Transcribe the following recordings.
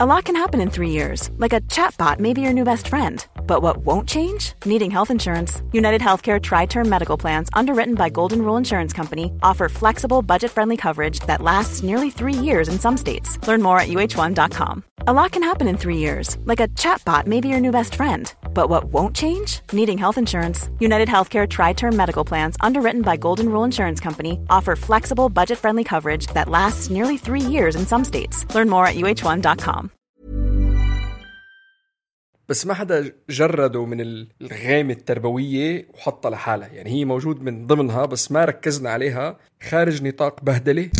A lot can happen in 3 years, like a chatbot may be your new best friend. But what won't change? Needing health insurance. United Healthcare Tri-Term Medical Plans, underwritten by Golden Rule Insurance Company, offer flexible, budget-friendly coverage that lasts nearly 3 years in some states. Learn more at uh1.com. A lot can happen in 3 years, like a chatbot may be your new best friend. But what won't change? Needing health insurance. United Healthcare Tri-Term Medical Plans, underwritten by Golden Rule Insurance Company, offer flexible, budget-friendly coverage that lasts nearly 3 years in some states. Learn more at uh1.com. بس ما حدا جرده من الغامة التربوية وحطها لحالها. يعني هي موجود من ضمنها بس ما ركزنا عليها، خارج نطاق بهدلة.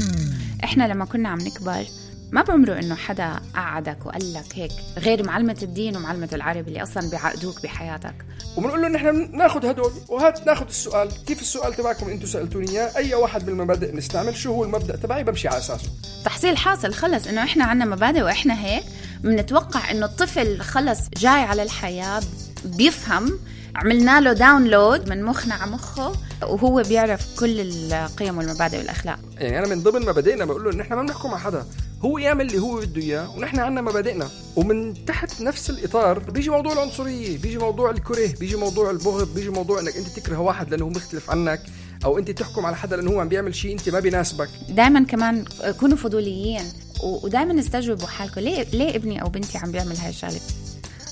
إحنا لما كنا عم نكبر ما بعمره إنه حدا قعدك وقال لك هيك، غير معلمة الدين ومعلمة العربي اللي أصلاً بيعقدوك بحياتك. وبنقول له إن إحنا ناخد هدول وهات ناخد السؤال، كيف السؤال تبعكم أنتوا سألتوني إياه؟ أي واحد بالمبادئ نستعمل، شو هو المبدأ تبعي بمشي على أساسه. تحصيل حاصل خلص إنه إحنا عنا مبادئ وإحنا هيك بنتوقع إنه الطفل خلص جاي على الحياة بيفهم، عملنا له داونلود من مخنا على مخه وهو بيعرف كل القيم والمبادئ والأخلاق. يعني أنا من ضمن مبادئنا بقول له إن إحنا ما بنحكم على حدا، هو يعمل اللي هو بده إياه ونحن عنا مبادئنا. ومن تحت نفس الإطار بيجي موضوع العنصرية، بيجي موضوع الكره، بيجي موضوع البغض، بيجي موضوع إنك أنت تكره واحد لأنه هو مختلف عنك، أو أنت تحكم على حدا لأنه هو عم بيعمل شيء أنت ما بيناسبك. دائما كمان كونوا فضوليين ودائما استجوبوا حالكم، ليه ابني أو بنتي عم بيعمل هاي الشغلة.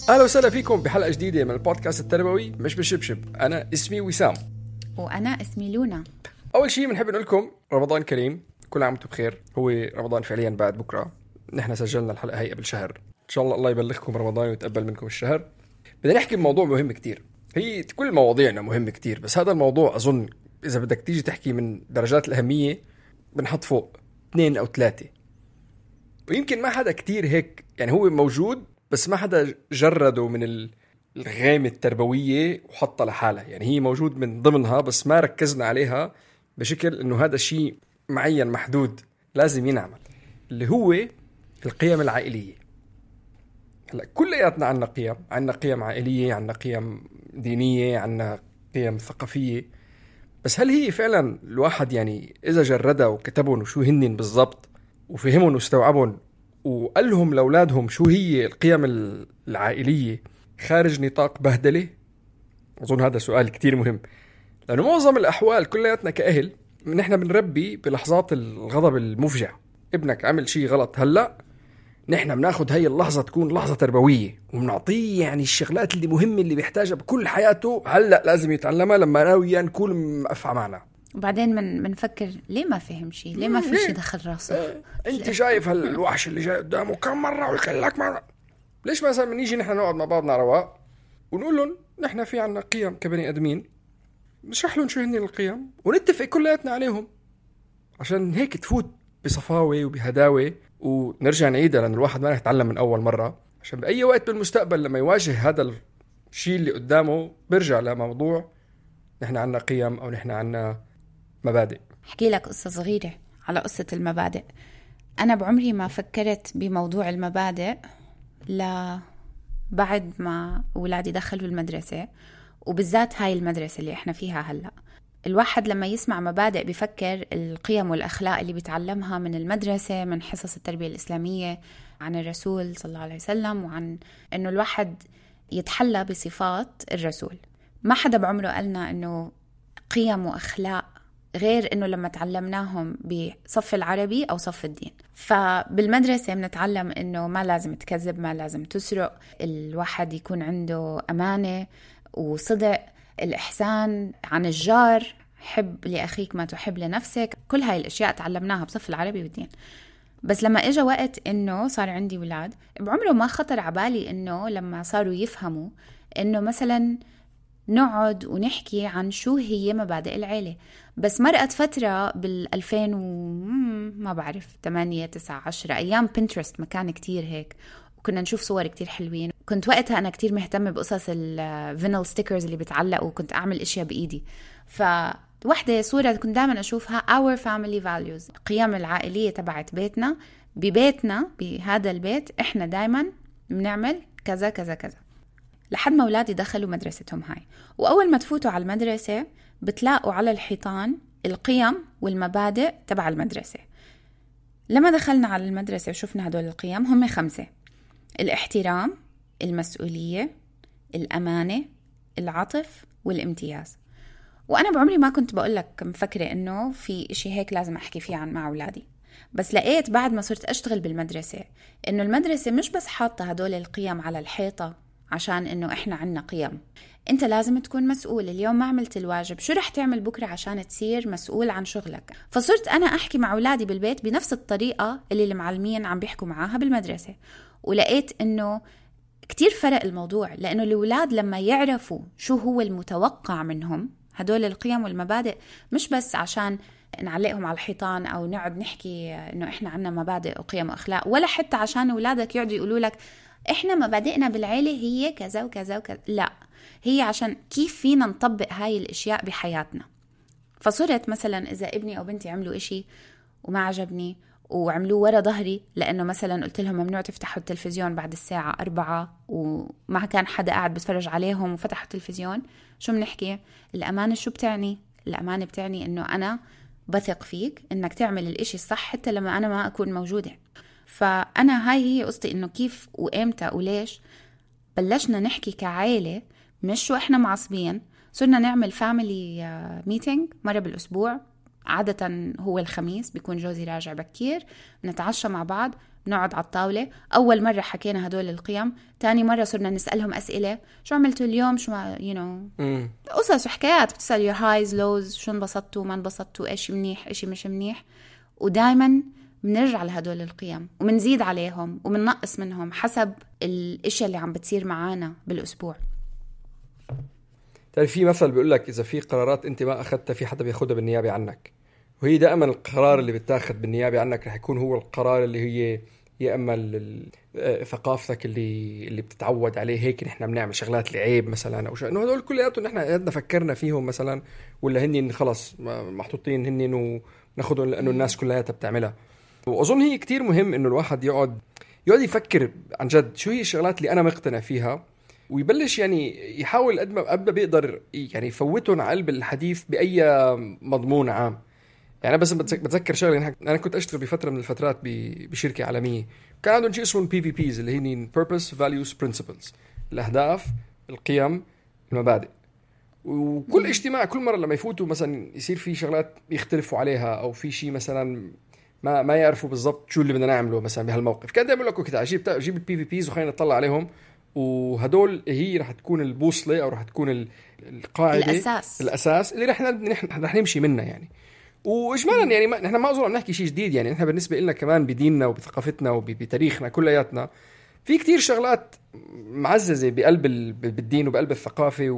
أهلا وسهلا فيكم بحلقة جديدة من البودكاست التربوي مش بشبشب. أنا اسمي وسام وأنا اسمي لونا. أول شيء بنحب نقول لكم رمضان كريم، كل عام وانتم بخير. هو رمضان فعليا بعد بكرة، نحن سجلنا الحلقة هي قبل شهر، إن شاء الله يبلغكم رمضان ويتقبل منكم الشهر. بدنا نحكي بموضوع مهم كتير، هي كل مواضيعنا مهمة كتير، بس هذا الموضوع أظن إذا بدك تيجي تحكي من درجات الأهمية بنحط فوق 2 أو 3، ويمكن ما حدا كتير هيك. يعني هو موجود بس ما حدا جرده من الغامة التربوية وحطها لحالها. يعني هي موجود من ضمنها بس ما ركزنا عليها بشكل إنه هذا شيء معين محدود لازم ينعمل، اللي هو القيم العائلية. هلا كلياتنا عنا قيم عائلية، عنا قيم دينية، عنا قيم ثقافية، بس هل هي فعلا الواحد يعني إذا جردها وكتبهم وشو هنن بالضبط وفهمهم واستوعبهم وقالهم لأولادهم شو هي القيم العائلية خارج نطاق بهدلة؟ أظن هذا سؤال كتير مهم، لأنه معظم الأحوال كلياتنا كأهل نحن بنربي بلحظات الغضب المفجع. ابنك عمل شيء غلط هلأ، نحن بناخد هاي اللحظة تكون لحظة تربوية وبنعطيه يعني الشغلات اللي مهمة اللي بيحتاجها بكل حياته هلأ لازم يتعلمها لما أنا وياه نكون مقفع معنا. وبعدين منفكر ليه ما فهم شيء، ليه ما في شيء دخل راسه. انت شايف هالوحش اللي جاي قدامه كم مرة ويقلك مرة. ليش مثلا منيجي نحن نقعد مع بعضنا رواق ونقول لهم نحن في عنا قيم كبني أدمين، نشرح لهم شو هن القيم ونتفق كلياتنا عليهم، عشان هيك تفوت بصفاوة وبهداوة ونرجع نعيدها، لأن الواحد ما يتعلم من أول مرة، عشان بأي وقت بالمستقبل لما يواجه هذا الشيء اللي قدامه برجع لموضوع نحن عنا قيم أو نحن عنا مبادئ. احكي لك قصة صغيرة على قصة المبادئ. أنا بعمري ما فكرت بموضوع المبادئ بعد ما أولادي دخلوا المدرسة، وبالذات هاي المدرسة اللي إحنا فيها هلأ. الواحد لما يسمع مبادئ بيفكر القيم والأخلاق اللي بيتعلمها من المدرسة، من حصص التربية الإسلامية، عن الرسول صلى الله عليه وسلم، وعن إنه الواحد يتحلى بصفات الرسول. ما حدا بعمره قالنا إنه قيم وأخلاق غير إنه لما تعلمناهم بصف العربي أو صف الدين. فبالمدرسة بنتعلم إنه ما لازم تكذب، ما لازم تسرق، الواحد يكون عنده أمانة وصدق، الإحسان عن الجار، حب لأخيك ما تحب لنفسك. كل هاي الأشياء تعلمناها بصف العربي والدين. بس لما إجا وقت إنه صار عندي ولاد، بعمره ما خطر عبالي إنه لما صاروا يفهموا إنه مثلاً نقعد ونحكي عن شو هي مبادئ العيلة. بس مرقت فترة بال2000 ما بعرف 8 9 10 أيام بنترست مكان كتير هيك، وكنا نشوف صور كتير حلوين. كنت وقتها أنا كتير مهتمة بقصص الفينل ستيكرز اللي بتعلق، وكنت أعمل إشياء بإيدي. فواحدة صورة كنت دائما أشوفها our family values، القيم العائلية تبعت بيتنا. ببيتنا بهذا البيت إحنا دائما بنعمل كذا كذا كذا، لحد ما أولادي دخلوا مدرستهم هاي. وأول ما تفوتوا على المدرسة بتلاقوا على الحيطان القيم والمبادئ تبع المدرسة. لما دخلنا على المدرسة وشفنا هدول القيم هم 5. الاحترام، المسؤولية، الأمانة، العطف والامتياز. وأنا بعمري ما كنت بقول لك مفكرة إنه في إشي هيك لازم أحكي فيه مع أولادي، بس لقيت بعد ما صرت أشتغل بالمدرسة إنه المدرسة مش بس حاطة هدول القيم على الحيطة عشان إنه إحنا عنا قيم. أنت لازم تكون مسؤول. اليوم ما عملت الواجب، شو رح تعمل بكرة عشان تصير مسؤول عن شغلك؟ فصرت أنا أحكي مع أولادي بالبيت بنفس الطريقة اللي المعلمين عم بيحكوا معاها بالمدرسة، ولقيت إنه كتير فرق الموضوع، لأنه الأولاد لما يعرفوا شو هو المتوقع منهم هدول القيم والمبادئ، مش بس عشان نعلقهم على الحيطان أو نقعد نحكي إنه إحنا عنا مبادئ وقيم وأخلاق، ولا حتى عشان أولادك يقعدوا يقولوا لك إحنا مبادئنا بالعيلة هي كذا وكذا وكذا، لا، هي عشان كيف فينا نطبق هاي الاشياء بحياتنا. فصرت مثلا اذا ابني او بنتي عملوا اشي وما عجبني وعملوه ورا ظهري، لانه مثلا قلت لهم ممنوع تفتحوا التلفزيون بعد الساعة 4 وما كان حدا قاعد بتفرج عليهم وفتحوا التلفزيون، شو بنحكي؟ الامانة شو بتعني؟ الامانة بتعني انه انا بثق فيك انك تعمل الاشي الصح حتى لما انا ما اكون موجودة. فانا هاي هي قصتي، انه كيف وامتى وليش بلشنا نحكي كعائلة، مش شو احنا معصبين. صرنا نعمل فاميلي ميتينج مرة بالأسبوع، عادة هو الخميس، بيكون جوزي راجع بكير، نتعشى مع بعض، نقعد على الطاولة. أول مرة حكينا هدول القيم، تاني مرة صرنا نسألهم أسئلة، شو عملتوا اليوم، شو قصص وحكايات، بتسأل your highs lows، شو انبسطتوا ما انبسطتوا، إيش منيح إيش مش منيح. ودايما بنرجع لهدول القيم ومنزيد عليهم ومننقص منهم حسب الاشياء اللي عم بتصير معانا بالأسبوع. في مثل بيقول لك إذا في قرارات أنت ما أخذتها في حدا بياخدها بالنيابة عنك، وهي دائما القرار اللي بتاخذ بالنيابة عنك رح يكون هو القرار اللي هي يا اما ثقافتك اللي بتتعود عليه، هيك نحن بنعمل شغلات لعيب مثلا او شيء، انه هدول كلياتهم نحن قدنا فكرنا فيهم مثلا، ولا هني خلص محطوطين هني انه ناخذهم لانه الناس كلياتها بتعملها. واظن هي كتير مهم انه الواحد يقعد يفكر عن جد شو هي الشغلات اللي انا مقتنع فيها، ويبلش يعني يحاول قد ما بيقدر يعني يفوتهم على قلب الحديث باي مضمون عام. يعني بس بتذكر شغله، انا كنت اشتغل بفتره من الفترات بشركه عالميه، كان عندهم شيء اسمه PVPs اللي هي Purpose Values Principles، الاهداف القيم المبادئ. وكل اجتماع كل مره لما يفوتوا مثلا يصير في شغلات يختلفوا عليها، او في شيء مثلا ما يعرفوا بالضبط شو اللي بدنا نعمله مثلا بهالموقف، كان دائما يقول لكم كده جيب PVPs وخلينا نطلع عليهم، وهدول هي رح تكون البوصله او رح تكون القاعده الاساس اللي رح نمشي منها يعني. واجمالا يعني نحن ما اظن نحكي شيء جديد، يعني نحن بالنسبه لنا كمان بديننا وبثقافتنا وبتاريخنا كلياتنا في كتير شغلات معززه بقلب بالدين وبقلب الثقافه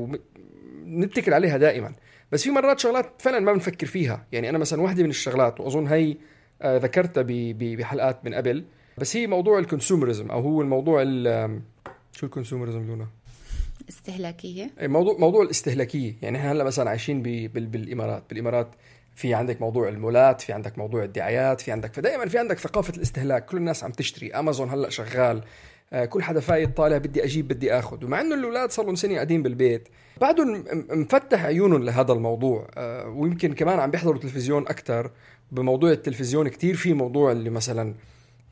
ونتكل عليها دائما، بس في مرات شغلات فعلا ما بنفكر فيها. يعني انا مثلا واحده من الشغلات واظن هي ذكرتها بحلقات من قبل، بس هي موضوع الكونسومرزم، او هو الموضوع شو الكونسومرزم لونا؟ استهلاكيه. موضوع الاستهلاكيه. يعني احنا هلا مثلا عايشين بالامارات في عندك موضوع المولات، في عندك موضوع الدعايات، فدائما في عندك ثقافة الاستهلاك، كل الناس عم تشتري، أمازون هلأ شغال، كل حدا فايت طالع بدي أجيب بدي أخذ. ومع أنه الأولاد صاروا سنة قاعدين بالبيت بعدهم مفتح عيونهم لهذا الموضوع، ويمكن كمان عم بيحضروا تلفزيون أكتر. بموضوع التلفزيون كتير في موضوع اللي مثلا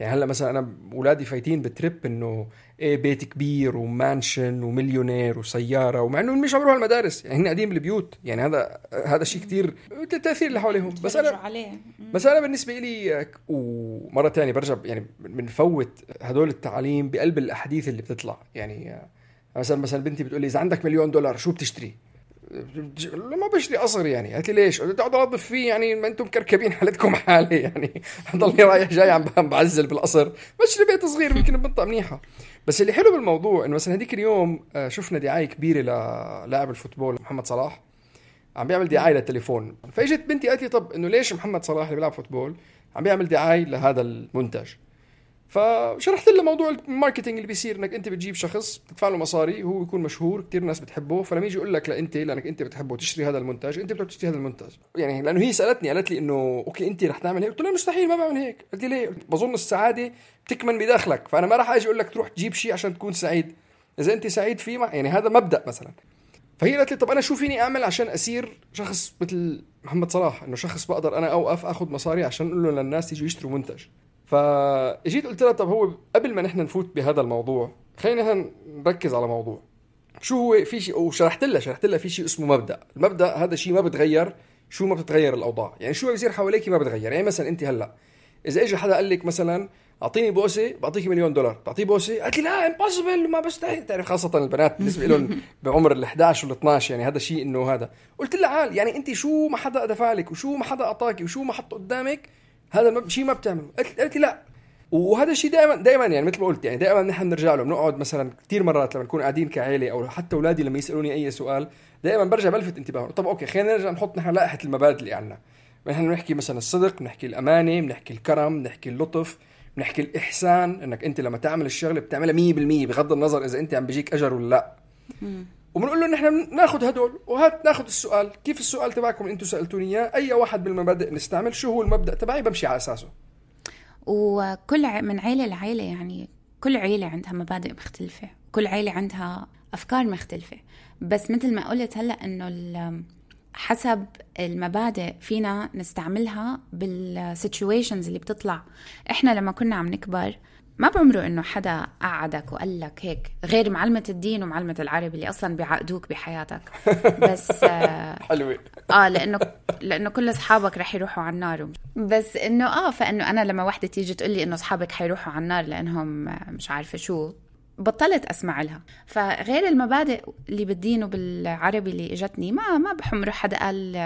يعني هلا مثلا انا اولادي فايتين بتريب انه بيت كبير ومانشن ومليونير وسياره، ومع انه مش عمرهم المدارس، يعني هن قاعدين بالبيوت. يعني هذا شيء كتير التاثير اللي حواليهم. بس انا بالنسبه لي ومره تانية برجع يعني بنفوت هدول التعليم بقلب الاحاديث اللي بتطلع. يعني مثلا بنتي بتقول لي اذا عندك $1,000,000 شو بتشتري؟ ما بشتري قصر. يعني قالت لي ليش؟ قلت اقعد انظف فيه، يعني ما انتم كركبين حالتكم حالي، يعني ضلني رايح جاي عم بعزل بالقصر، بشتري بيت صغير يمكن بمنطقه منيحه. بس اللي حلو بالموضوع انه مثلا هديك اليوم شفنا دعايه كبيره للاعب الفوتبول محمد صلاح عم بيعمل دعايه للتليفون، فاجت بنتي قالت لي طب انه ليش محمد صلاح اللي بيلعب فوتبول عم بيعمل دعايه لهذا المنتج؟ فشرحت له موضوع الماركتينج اللي بيصير، انك انت بتجيب شخص بتدفع له مصاري، هو يكون مشهور كتير ناس بتحبه، فلما يجي يقول لك لانك انت بتحبه تشتري هذا المنتج، انت بدك تشتري هذا المنتج. يعني لانه هي قالت لي انه اوكي انت رح تعمل هيك، قلت لها مستحيل ما بعمل هيك. قالت لي ليه؟ بظن السعاده تكمن بداخلك، فانا ما رح اجي اقول لك تروح تجيب شيء عشان تكون سعيد اذا انت سعيد فيه، يعني هذا مبدا مثلا. فهي قالت لي طب انا شو فيني اعمل عشان اصير شخص مثل محمد صلاح، انه شخص بقدر انا اوقف اخذ مصاري عشان اقول له للناس يجوا يشتروا منتج. فاجيت قلت لها طب هو قبل ما نحن نفوت بهذا الموضوع خلينا نركز على موضوع شو هو. في شيء وشرحت لها في شيء اسمه مبدأ. المبدأ هذا شيء ما بتغير، شو ما بتتغير الأوضاع، يعني شو بيصير حواليك ما بتغير. يعني مثلا انت هلا اذا اجى حدا قال لك مثلا اعطيني بوسه بعطيك $1,000,000، بعطيه بوسه قالت لي لا امبوسيبل ما بستحي. تعرف خاصه البنات بالنسبه لهم بعمر ال11 وال12 يعني هذا شيء انه هذا. قلت لها عال يعني انت شو ما حدا دفع لك وشو ما حدا اعطاكي وشو ما حط قدامك هذا شيء ما بتعمله. قالت لي لا. وهذا الشيء دائما يعني مثل ما قلت يعني دائما نحن بنرجع له. بنقعد مثلا كثير مرات لما نكون قاعدين كعائله او حتى اولادي لما يسالوني اي سؤال دائما برجع بلفت انتباههم. طب اوكي خلينا نرجع نحط نحن لائحه المبادئ اللي عندنا. نحن بنحكي مثلا الصدق، بنحكي الامانه، بنحكي الكرم، بنحكي اللطف، بنحكي الاحسان، انك انت لما تعمل الشغله بتعملها 100% بغض النظر اذا انت عم بيجيك اجر ولا لا. وبنقول له نحن ناخذ هدول وهات ناخذ السؤال كيف السؤال تبعكم اللي انتم سالتوني اياه اي واحد بالمبادئ نستعمل، شو هو المبدا تبعي بمشي على اساسه. وكل من عيلة لعيلة يعني كل عيلة عندها مبادئ مختلفة، كل عيلة عندها أفكار مختلفة. بس مثل ما قلت هلأ إنه حسب المبادئ فينا نستعملها بالسيتويشنز اللي بتطلع. إحنا لما كنا عم نكبر ما بعمره إنه حدا قعدك وقال لك هيك غير معلمة الدين ومعلمة العربي اللي أصلاً بيعقدوك بحياتك. بس حلوة. لأنه كل أصحابك رح يروحوا على النار. بس إنه فإنه أنا لما واحدة تيجي تقول لي إنه أصحابك حيروحوا على النار لأنهم مش عارفة شو، بطلت أسمع لها. فغير المبادئ اللي بالدين وبالعربي اللي إجتني ما بحمره حدا قال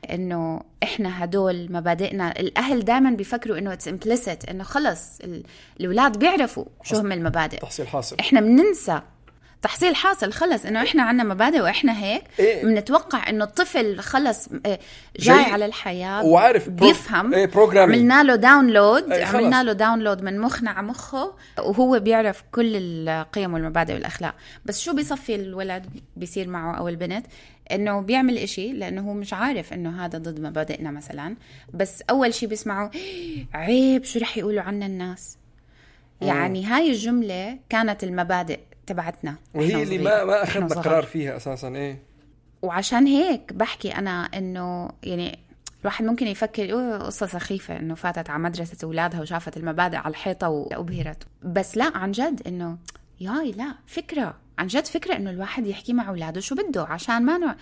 إنه إحنا هدول مبادئنا. الأهل دائما بيفكروا إنه it's implicit، إنه خلص الأولاد بيعرفوا شو هم المبادئ. تحصيل حاصل. إحنا بننسى تحصيل حاصل. خلص إنه إحنا عنا مبادئ وإحنا هيك بنتوقع إنه الطفل خلص جاي على الحياة وعارف بيفهم. عملنا له داونلود من مخنا على مخه وهو بيعرف كل القيم والمبادئ والأخلاق. بس شو بيصفي الولد بيصير معه أو البنت إنه بيعمل إشي لأنه هو مش عارف إنه هذا ضد مبادئنا مثلا. بس أول شي بيسمعه عيب شو رح يقولوا عنا الناس. يعني هاي الجملة كانت المبادئ تبعتنا وهي اللي ما أخذنا قرار فيها أساسا. وعشان هيك بحكي أنا إنه يعني الواحد ممكن يفكر قصة سخيفة إنه فاتت على مدرسة أولادها وشافت المبادئ على الحيطة وأبهرت. بس لا، عن جد إنه لا فكرة، عن جد فكرة إنه الواحد يحكي مع أولاده شو بده، عشان ما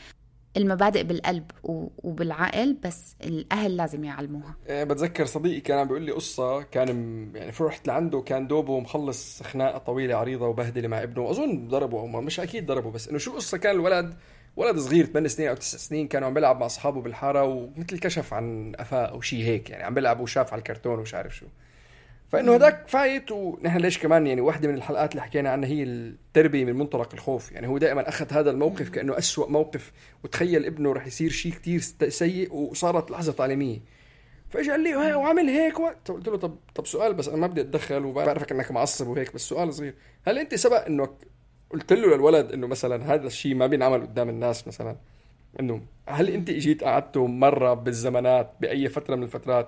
المبادئ بالقلب وبالعقل، بس الأهل لازم يعلموها. بتذكر صديقي كان عم بيقول لي قصة، كان يعني فرحت لعنده كان دوبه مخلص خناقة طويلة عريضة وبهدلة مع ابنه، أظن ضربه أو مش أكيد ضربه، بس إنه شو قصة. كان ولد صغير 8 سنين أو 9 سنين، كانوا عم بيلعب مع أصحابه بالحارة ومثل كشف عن أفاء أو شيء هيك، يعني عم بيلعب وشاف على الكرتون ومش عارف شو. فإنه هداك فايت. ونحن ليش كمان يعني واحدة من الحلقات اللي حكينا عنها هي التربية من منطلق الخوف. يعني هو دائما أخذ هذا الموقف كأنه أسوأ موقف، وتخيل ابنه رح يصير شيء كتير سيء، وصارت لحظة تعليمية. فإجا قال لي وعمل هيك قلت له طب سؤال، بس أنا ما بدي أتدخل وبعرفك أنك معصب وهيك، بس سؤال صغير، هل أنت سبق أنك قلت له للولد أنه مثلا هذا الشيء ما بينعمل قدام الناس مثلا؟ أنه هل أنت إجيت قعدته مرة بالزمانات بأي فترة من الفترات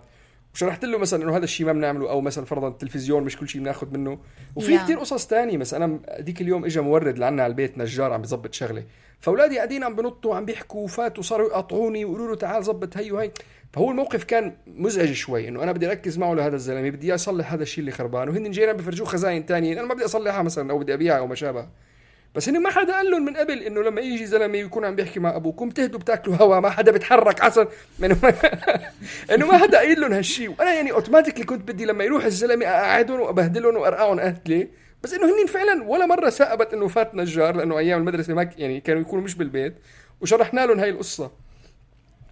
وشرحت له مثلا انه هذا الشيء ما بنعمله، او مثلا فرضا التلفزيون مش كل شيء بناخذ منه؟ وفي كتير قصص تانية. مثلا انا ديك اليوم اجى مورد لعنا على البيت، نجار عم بيظبط شغله، فاولادي قاعدين عم بنطوا عم بيحكوا وفاتوا صاروا يقاطعوني ويقولوا له تعال ظبط هي وهي. فهو الموقف كان مزعج شوي، انه انا بدي اركز معه لهذا الزلمه، بدي اصلح هذا الشيء اللي خربان، وهن جينا بفرجوه خزاين تانية انا ما بدي اصلحها مثلا او بدي ابيعها او ما شابه. بس انه ما حدا قال لهم من قبل انه لما يجي زلمه يكون عم بيحكي مع ابوكم تهدوا بتاكلوا هوا، ما حدا بيتحرك عسل انه ما حدا قايل لهم هالشيء. وانا يعني اوتوماتيكلي كنت بدي لما يروح الزلمه اقعدهم وابهدلهم وارقعهم اهلي، بس انه هنين فعلا ولا مره سأبت انه فات نجار، لانه ايام المدرسه ما يعني كانوا يكونوا مش بالبيت، وشرحنا لهم هاي القصه.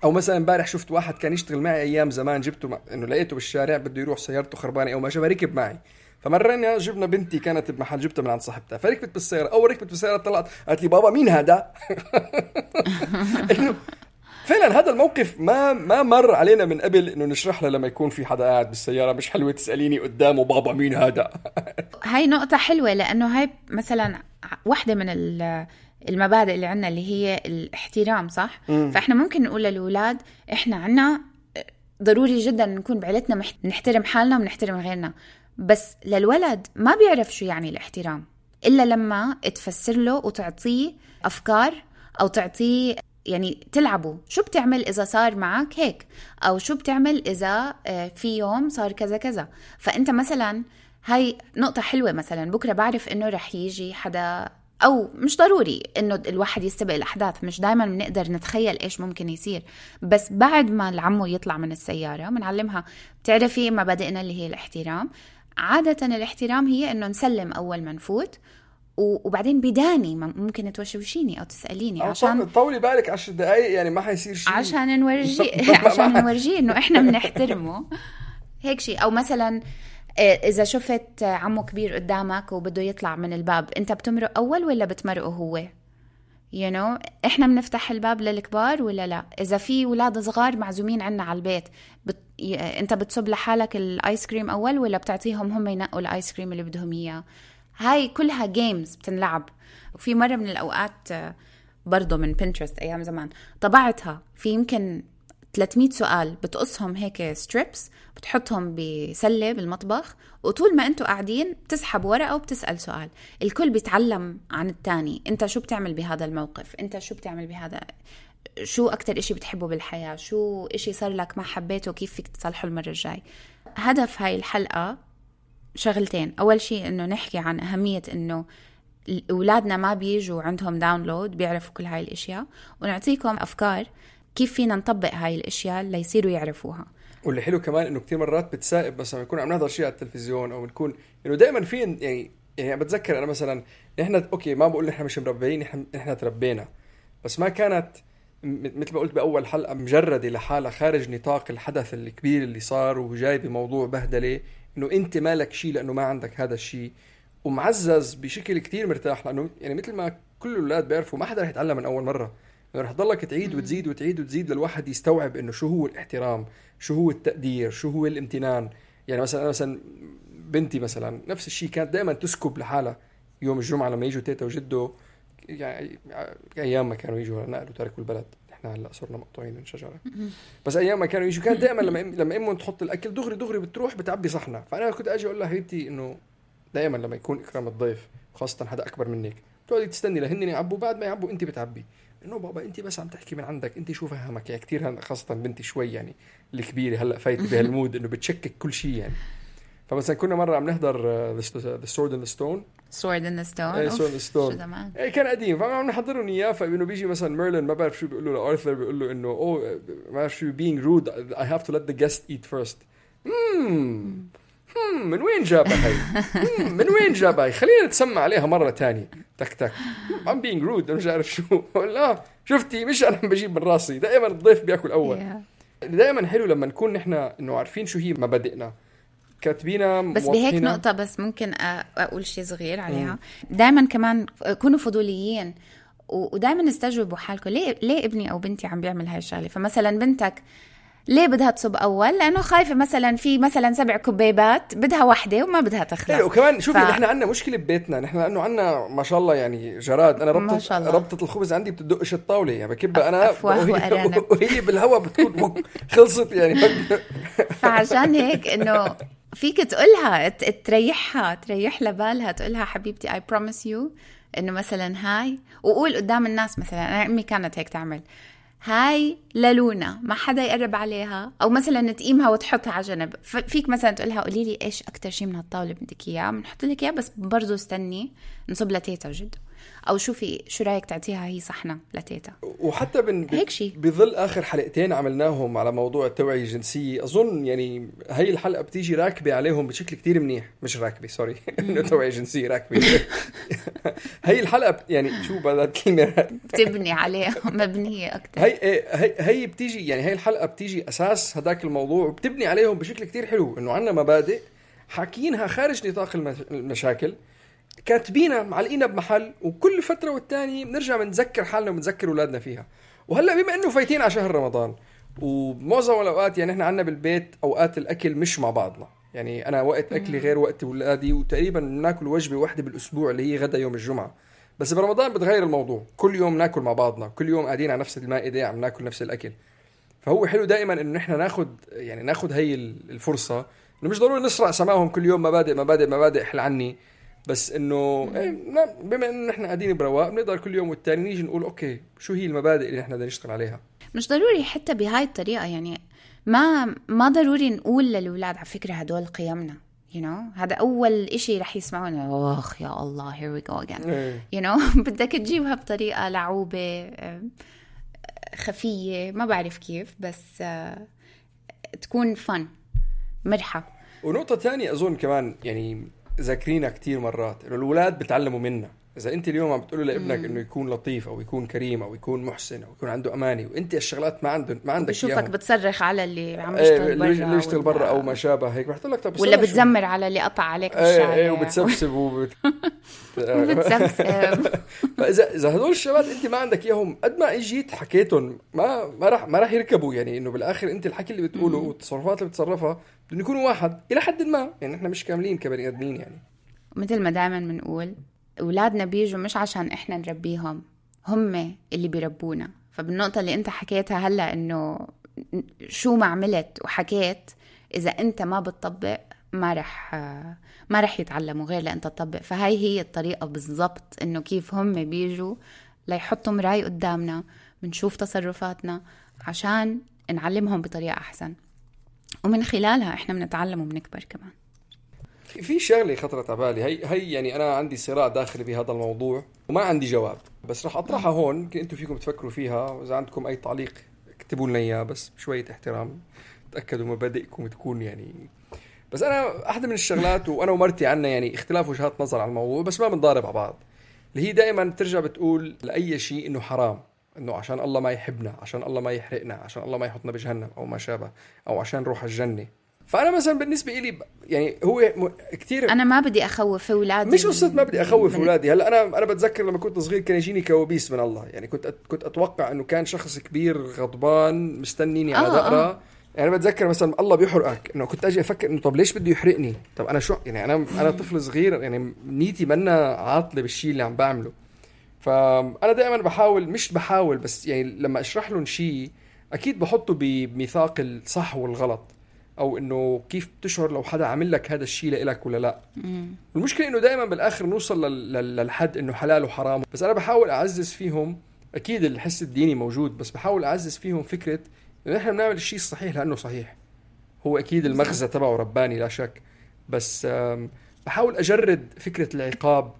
او مثلا امبارح شفت واحد كان يشتغل معي ايام زمان، جبته انه لقيته بالشارع بده يروح سيارته خربانه او ما شابه، ركب معي. فمرة جبنا بنتي كانت بمحل، جبتها من عند صاحبتها، فركبت بالسيارة. أول ركبت بالسيارة طلعت قالت لي بابا مين هذا؟ إنه فعلا هذا الموقف ما مر علينا من قبل إنه نشرح له لما يكون في حدا قاعد بالسيارة مش حلوة تسأليني قدامه بابا مين هذا. هاي نقطة حلوة، لأنه هاي مثلا واحدة من المبادئ اللي عنا اللي هي الاحترام، صح؟ فإحنا ممكن نقول للأولاد إحنا عنا ضروري جدا نكون بعيلتنا نحترم حالنا ونحترم غيرنا، بس للولد ما بيعرف شو يعني الاحترام إلا لما تفسر له وتعطيه أفكار أو تعطيه يعني تلعبوا شو بتعمل إذا صار معك هيك، أو شو بتعمل إذا في يوم صار كذا كذا. فأنت مثلا هاي نقطة حلوة، مثلا بكرة بعرف إنه رح يجي حدا، أو مش ضروري إنه الواحد يستبق الأحداث، مش دايما بنقدر نتخيل إيش ممكن يصير، بس بعد ما العمو يطلع من السيارة بنعلمها بتعرفي مبادئنا اللي هي الاحترام. عادة الاحترام هي إنه نسلم أول ما نفوت، وبعدين بداني ممكن توشوشيني أو تسأليني عشان طولي بالك 10 دقايق يعني ما حيصير شيء، عشان نورجيه إنه إحنا بنحترمه هيك شيء. أو مثلا إذا شفت عمو كبير قدامك وبده يطلع من الباب، أنت بتمرق أول ولا بتمرقه هو؟ إحنا بنفتح الباب للكبار ولا لا؟ إذا في ولاد صغار معزومين عنا على البيت، أنت بتصب لحالك الآيس كريم أول ولا بتعطيهم هم ينقوا الآيس كريم اللي بدهم إياه؟ هاي كلها جيمز بتنلعب. وفي مرة من الأوقات برضو من بنترست أيام زمان طبعتها، في يمكن 300 سؤال بتقصهم هيك ستريبس، بتحطهم بسلة بالمطبخ، وطول ما انتوا قاعدين بتسحب ورقة وبتسأل سؤال. الكل بيتعلم عن التاني، انت شو بتعمل بهذا الموقف، انت شو بتعمل بهذا، شو أكتر إشي بتحبه بالحياة، شو إشي صار لك ما حبيته كيف فيك تصلحه المرة الجاي. هدف هاي الحلقة شغلتين، أول شيء إنه نحكي عن أهمية إنه أولادنا ما بيجوا عندهم داونلود بيعرفوا كل هاي الأشياء، ونعطيكم أفكار كيف فينا نطبق هاي الأشياء ليصيروا يعرفوها. واللي حلو كمان إنه كتير مرات بتسائب، بس لما نكون عم نحضر شيء على التلفزيون أو نكون إنه دائما في يعني بتذكر أنا مثلا إحنا أوكي ما بقول إحنا مش مربيين، إحنا تربينا، بس ما كانت مثل ما قلت بأول حلقة مجردة لحالة خارج نطاق الحدث الكبير اللي صار وجاي بموضوع بهدلة، إنه أنت مالك شيء لأنه ما عندك هذا الشيء، ومعزز بشكل كتير مرتاح. لأنه يعني مثل ما كل الأولاد بيعرفوا ما حدا رح يتعلم من أول مرة، يعني رح تضلك تعيد وتزيد وتعيد وتزيد للواحد يستوعب إنه شو هو الاحترام، شو هو التقدير، شو هو الامتنان. يعني مثلا أنا مثلا بنتي مثلا نفس الشيء كانت دائما تسكب لحالها يوم الجمعة لما يجوا تيتا وجده، يعني أيام ما كانوا يجوا نقلوا تركوا البلد، احنا هلا صرنا مقطوعين من شجره، بس ايام ما كانوا يجوا كان دائما لما امهم تحط الاكل دغري بتروح بتعبي صحنه. فانا كنت اجي اقول لها حبيبتي انه دائما لما يكون اكرام الضيف خاصه حدا اكبر منك تقعدي تستني لهن يعبوا، بعد ما يعبوا انت بتعبي. انه بابا انت بس عم تحكي من عندك، انت شو فهمك يعني كثير، خاصه بنتي شوي يعني الكبيره هلا فايت بهالمود انه بتشكك كل شيء يعني. فمثلا كنا مره عم نحضر The Sword in the Stone كان قديم، فعم نحضرهم اياه، فانه بيجي مثلا ميرلين ما بعرف شو بيقول له لارثر، بيقول له انه ما بعرف شو being rude I have to let the guest eat first. من وين جابها هي؟ من وين جابها هي؟ خلينا نتسمع عليها مرة تانية. تك I'm being rude مش عارف شو. لا شفتي مش أنا بجيب من راسي، دائما الضيف بيأكل أول. دائما حلو لما نكون نحن إنه عارفين شو هي مبادئنا كاتبينها. بس بهيك نقطة بس ممكن أقول شيء صغير عليها. دائما كمان كونوا فضوليين ودائما استجوبوا حالكم، ليه ابني أو بنتي عم بيعمل هاي الشغلة. فمثلا بنتك ليه بدها تصب أول؟ لأنه خايفة مثلا في مثلا 7 كبيبات بدها واحدة وما بدها تخلص. ايه وكمان شوفي نحن عندنا مشكلة ببيتنا، نحن لأنه عندنا ما شاء الله يعني جراد، أنا ربطة الخبز عندي بتدقش الطاولة يعني بكبها أنا وهي بالهواء بتكون خلصت يعني. فعشان هيك إنه فيك تقولها تريح لبالها، تقولها حبيبتي I promise you إنه مثلا هاي، وقول قدام الناس مثلا أنا أمي كانت هيك تعمل، هاي للونا ما حدا يقرب عليها، أو مثلا تقيمها وتحطها على جنب. فيك مثلا تقولها قولي لي إيش أكتر شيء من هالطاولة بدك إياه بنحط لك إياه، بس برضو استني نصب لتيتا وجدو، أو شوفي شو رأيك تعطيها هي صحنة لتيتا. وحتى بظل آخر حلقتين عملناهم على موضوع التوعية الجنسية، أظن يعني هاي الحلقة بتيجي راكبة عليهم بشكل كتير منيح، مش راكبة سوري إنه توعية جنسية راكبة. هاي الحلقة يعني شو بدها كلمة بتبني عليها مبنية أكتر. هي بتيجي يعني هاي الحلقة بتيجي أساس هداك الموضوع وبتبني عليهم بشكل كتير حلو، إنه عنا مبادئ حاكينها خارج نطاق المشاكل، كاتبينها معلقينها بمحل، وكل فترة والتاني بنرجع بنذكر حالنا وبنذكر أولادنا فيها. وهلأ بما إنه فايتين على شهر رمضان ومعظم الأوقات يعني إحنا عنا بالبيت أوقات الأكل مش مع بعضنا، يعني أنا وقت أكلي غير وقت أولادي، وتقريبا ناكل وجبة واحدة بالأسبوع اللي هي غدا يوم الجمعة. بس برمضان بتغير الموضوع، كل يوم ناكل مع بعضنا، كل يوم قاعدين على نفس المائدة عم ناكل نفس الأكل. فهو حلو دائما إنه إحنا ناخد هاي الفرصة، إنه مش ضروري نسرع سماهم كل يوم مبادئ حل عني، بس انه بما انه نحن قاعدين برواق بنقدر كل يوم والتاني نيجي نقول اوكي شو هي المبادئ اللي نحن بدنا نشتغل عليها. مش ضروري حتى بهاي الطريقة، يعني ما ضروري نقول للأولاد على فكرة هدول قيمنا، هذا أول إشي رح يسمعونه، أخ يا الله here we go again. بدك تجيبها بطريقة لعوبة خفية، ما بعرف كيف، بس تكون فن مرحة. ونقطة تانية أظن كمان يعني ذاكرينها كتير مرات إنه الأولاد بتعلموا منا. إذا أنت اليوم عم بتقوله لابنك إنه يكون لطيف أو يكون كريم أو يكون محسن أو يكون عنده أماني، وأنت الشغلات ما عندك بشوفك بتصرخ على اللي عم يشتغل برا، اللي يشتغل برا أو ما شابه هيك، رح تقول لك طب ولا بتزمر على اللي قطع عليك بالشارع وبتسبسب وبتسبسب. فإذا هدول الشباب أنت ما عندك إياهم، قد ما إجيت حكيتهم ما راح يركبوا. يعني إنه بالآخر أنت الحكي اللي بتقوله والتصرفات اللي بتصرفها بدهم يكونوا واحد إلى حد ما، يعني إحنا مش كاملين كبني آدمين. يعني مثل ما دائما بنقول أولادنا بيجوا مش عشان إحنا نربيهم، هم اللي بيربونا. فبالنقطة اللي أنت حكيتها هلأ إنه شو ما عملت وحكيت، إذا أنت ما بتطبق ما رح يتعلموا غير لأنت تطبق. فهاي هي الطريقة بالضبط، إنه كيف هم بيجوا ليحطوا مراي قدامنا، بنشوف تصرفاتنا عشان نعلمهم بطريقة أحسن، ومن خلالها إحنا بنتعلم وبنكبر كمان. في شغلة خطرت على بالي، هي يعني أنا عندي صراع داخلي بهذا الموضوع وما عندي جواب، بس رح أطرحها هون، يمكن أنتم فيكم تفكروا فيها، وإذا عندكم أي تعليق اكتبوا لنا إياه، بس بشوية احترام، تأكدوا مبادئكم تكون يعني. بس أنا أحد من الشغلات، وأنا ومرتي عنا يعني اختلاف وجهات نظر على الموضوع، بس ما بنضارب على بعض، اللي هي دائما ترجع بتقول لأي شيء إنه حرام، إنه عشان الله ما يحبنا، عشان الله ما يحرقنا، عشان الله ما يحطنا بجهنم أو ما شابه، أو عشان نروح الجنة. فأنا مثلا بالنسبة إلي يعني هو كتير، أنا ما بدي أخوف أولادي، مش قصة ما بدي أخوف أولادي. هلا أنا بتذكر لما كنت صغير كان يجيني كوابيس من الله، يعني كنت أتوقع إنه كان شخص كبير غضبان مستنيني على دقرة. يعني أنا بتذكر مثلا الله بيحرقك، إنه كنت أجي أفكر إنه طب ليش بده يحرقني؟ طب أنا شو يعني، أنا طفل صغير، يعني نيتي منا عاطلة بالشيء اللي عم بعمله. فأنا دائما بحاول بس يعني لما أشرح لهم شيء أكيد بحطه بميثاق الصح والغلط، او انه كيف تشعر لو حدا عمل لك هذا الشيء لإلك ولا لا. المشكله انه دائما بالاخر نوصل للحد انه حلال وحرام. بس انا بحاول اعزز فيهم، اكيد الحس الديني موجود، بس بحاول اعزز فيهم فكره انه احنا بنعمل الشيء الصحيح لانه صحيح. هو اكيد المغزى تبعه رباني لا شك، بس بحاول اجرد فكره العقاب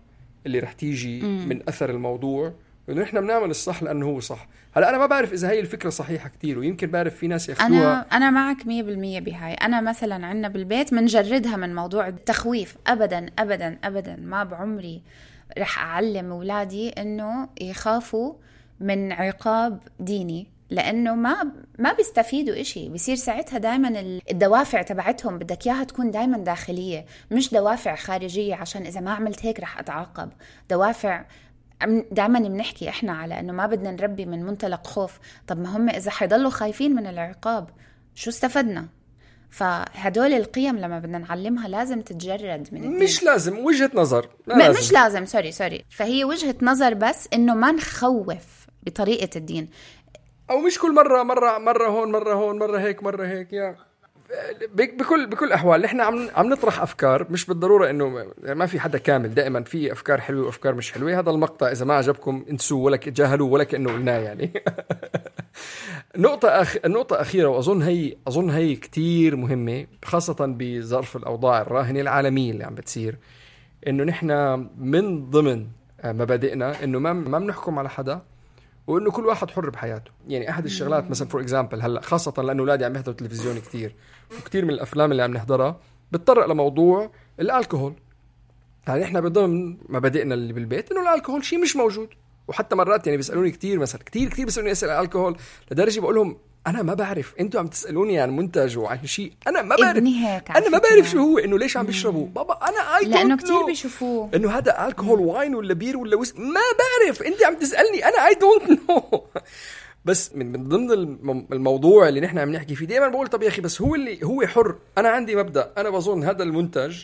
اللي رح تيجي من اثر الموضوع، انه احنا بنعمل الصح لانه هو صح. هلا انا ما بعرف اذا هي الفكره صحيحه كتير، ويمكن بعرف في ناس ياخذوها. انا معك 100% بهاي. انا مثلا عندنا بالبيت منجردها من موضوع التخويف. ابدا ابدا ابدا ما بعمري رح اعلم اولادي انه يخافوا من عقاب ديني، لانه ما بيستفيدوا إشي. بيصير ساعتها دائما الدوافع تبعتهم بدك اياها تكون دائما داخليه، مش دوافع خارجيه عشان اذا ما عملت هيك رح اتعاقب. دوافع دائما بنحكي احنا على انه ما بدنا نربي من منطلق خوف. طب ما هم اذا حيضلوا خايفين من العقاب شو استفدنا؟ فهدول القيم لما بدنا نعلمها لازم تتجرد من الدين. مش لازم وجهة نظر، مش لازم سوري فهي وجهة نظر، بس انه ما نخوف بطريقة الدين، او مش كل مرة هون مرة هيك يا بكل احوال نحن عم نطرح افكار، مش بالضروره انه ما في حدا كامل، دائما في افكار حلوه وافكار مش حلوه. هذا المقطع اذا ما عجبكم انسوه ولا تجاهلوه ولا كانه قلناه يعني. النقطه اخيره، واظن هي كتير مهمه، خاصه بظرف الاوضاع الراهنه العالميه اللي عم بتصير، انه نحن من ضمن مبادئنا انه ما بنحكم على حدا، وانه كل واحد حر بحياته. يعني احد الشغلات مثلا فور اكزامبل هلا خاصه لانه اولادي عم يحضروا تلفزيون كتير، وكتير من الافلام اللي عم نحضرها بتطرق لموضوع الالكوهول. يعني احنا بضمن مبادئنا اللي بالبيت انه الالكوهول شيء مش موجود. وحتى مرات يعني بيسالوني كتير، مثلا كتير بيسالوني اسئله عن الالكوهول، لدرجه بقول لهم انا ما بعرف، انتوا عم تسالوني عن منتج وعن شيء انا ما بعرف. انا ما بعرف شو هو، انه ليش عم بيشربوه بابا، انا لانه كتير بيشوفوه انه هذا الكحول واين ولا بير ولا ما بعرف، انت عم تسالني انا اي دونت نو. بس من ضمن الموضوع اللي نحن عم نحكي فيه دائما بقول طب يا اخي بس هو حر. انا عندي مبدا، انا بظن هذا المنتج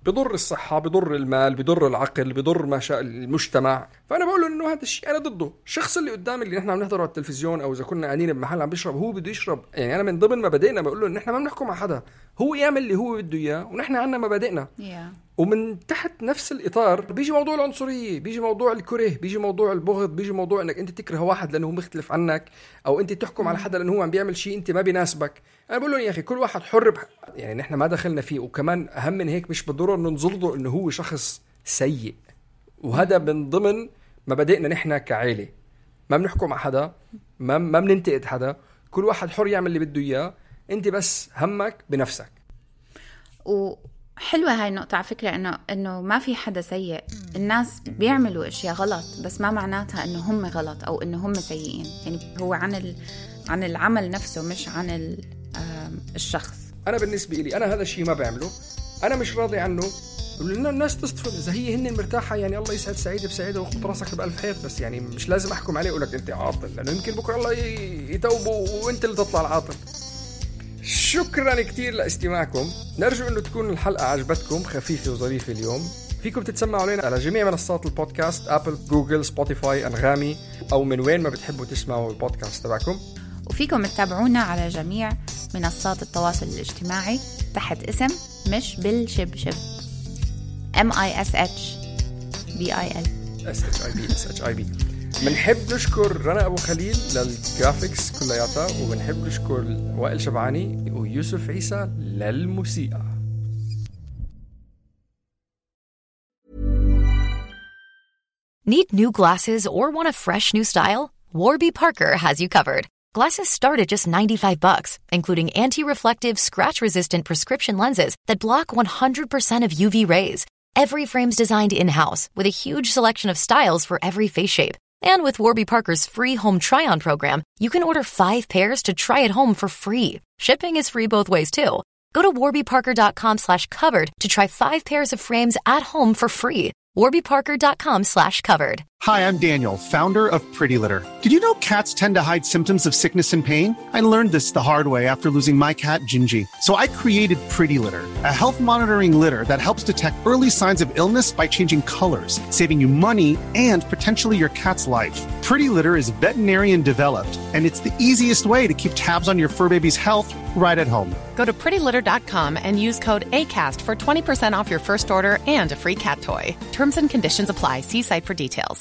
بضر الصحة، بضر المال، بضر العقل، بضر ما شاء المجتمع، فأنا بقول له إنه هذا الشيء أنا ضده. الشخص اللي قدامي اللي نحن عم نحضره على التلفزيون أو إذا كنا قاعدين بمحل عم بيشرب هو بده يشرب، يعني أنا من ضمن مبادئنا بقول له إن نحن ما بنحكم على حدا، هو يعمل اللي هو بده إياه ونحن عنا مبادئنا. ومن تحت نفس الإطار بيجي موضوع العنصرية، بيجي موضوع الكره، بيجي موضوع البغض، بيجي موضوع انك انت تكره واحد لانه هو مختلف عنك، او انت تحكم على حدا لانه هو عم بيعمل شيء انت ما بيناسبك. انا بقول لهم يا اخي كل واحد حر يعني نحن ما دخلنا فيه، وكمان اهم من هيك مش بالضرورة انه نظلمه انه هو شخص سيء، وهذا من ضمن مبادئنا نحن كعائلة. ما بنحكم على حدا، ما بننتقد حدا، كل واحد حر يعمل اللي بده اياه، انت بس همك بنفسك. وحلوة هاي النقطة على فكرة، إنه ما في حدا سيء. الناس بيعملوا أشياء غلط بس ما معناتها إنه هم غلط أو إنه هم سيئين. يعني هو عن العمل نفسه مش عن الشخص. أنا بالنسبة لي أنا هذا الشيء ما بعمله، أنا مش راضي عنه، لأنه الناس تصطفل إذا هي هن مرتاحة. يعني الله يسعد سعيدة بسعيدة وخط راسك بألف خير، بس يعني مش لازم أحكم عليه وأقولك أنت عاطل، لأنه يمكن بكرة الله يتوبوا وأنت اللي تطلع العاطل. شكرا كتير لاستماعكم، نرجو أنه تكون الحلقة عجبتكم، خفيفة وظريفة اليوم. فيكم تتسمعوا علينا على جميع منصات البودكاست، أبل، جوجل، سبوتيفاي، أنغامي، أو من وين ما بتحبوا تسمعوا البودكاست تبعكم. وفيكم تتابعونا على جميع منصات التواصل الاجتماعي تحت اسم مش بالشبشب MISHBIL. بنحب نشكر رنا أبو خليل للجرافيكس كلياتها، وبنحب نشكر وائل شبعاني ويوسف عيسى للموسيقى. Need new glasses or want a fresh new style? Warby Parker has you covered. Glasses start at just $95, including anti-reflective, scratch-resistant prescription lenses that block 100% of UV rays. Every frame's designed in-house with a huge selection of styles for every face shape. And with Warby Parker's free home try-on program, you can order 5 pairs to try at home for free. Shipping is free both ways, too. Go to warbyparker.com/covered to try 5 pairs of frames at home for free. warbyparker.com/covered. Hi, I'm Daniel, founder of Pretty Litter. Did you know cats tend to hide symptoms of sickness and pain? I learned this the hard way after losing my cat, Gingy. So I created Pretty Litter, a health monitoring litter that helps detect early signs of illness by changing colors, saving you money and potentially your cat's life. Pretty Litter is veterinarian developed, and it's the easiest way to keep tabs on your fur baby's health right at home. Go to prettylitter.com and use code ACAST for 20% off your first order and a free cat toy. Terms and conditions apply. See site for details.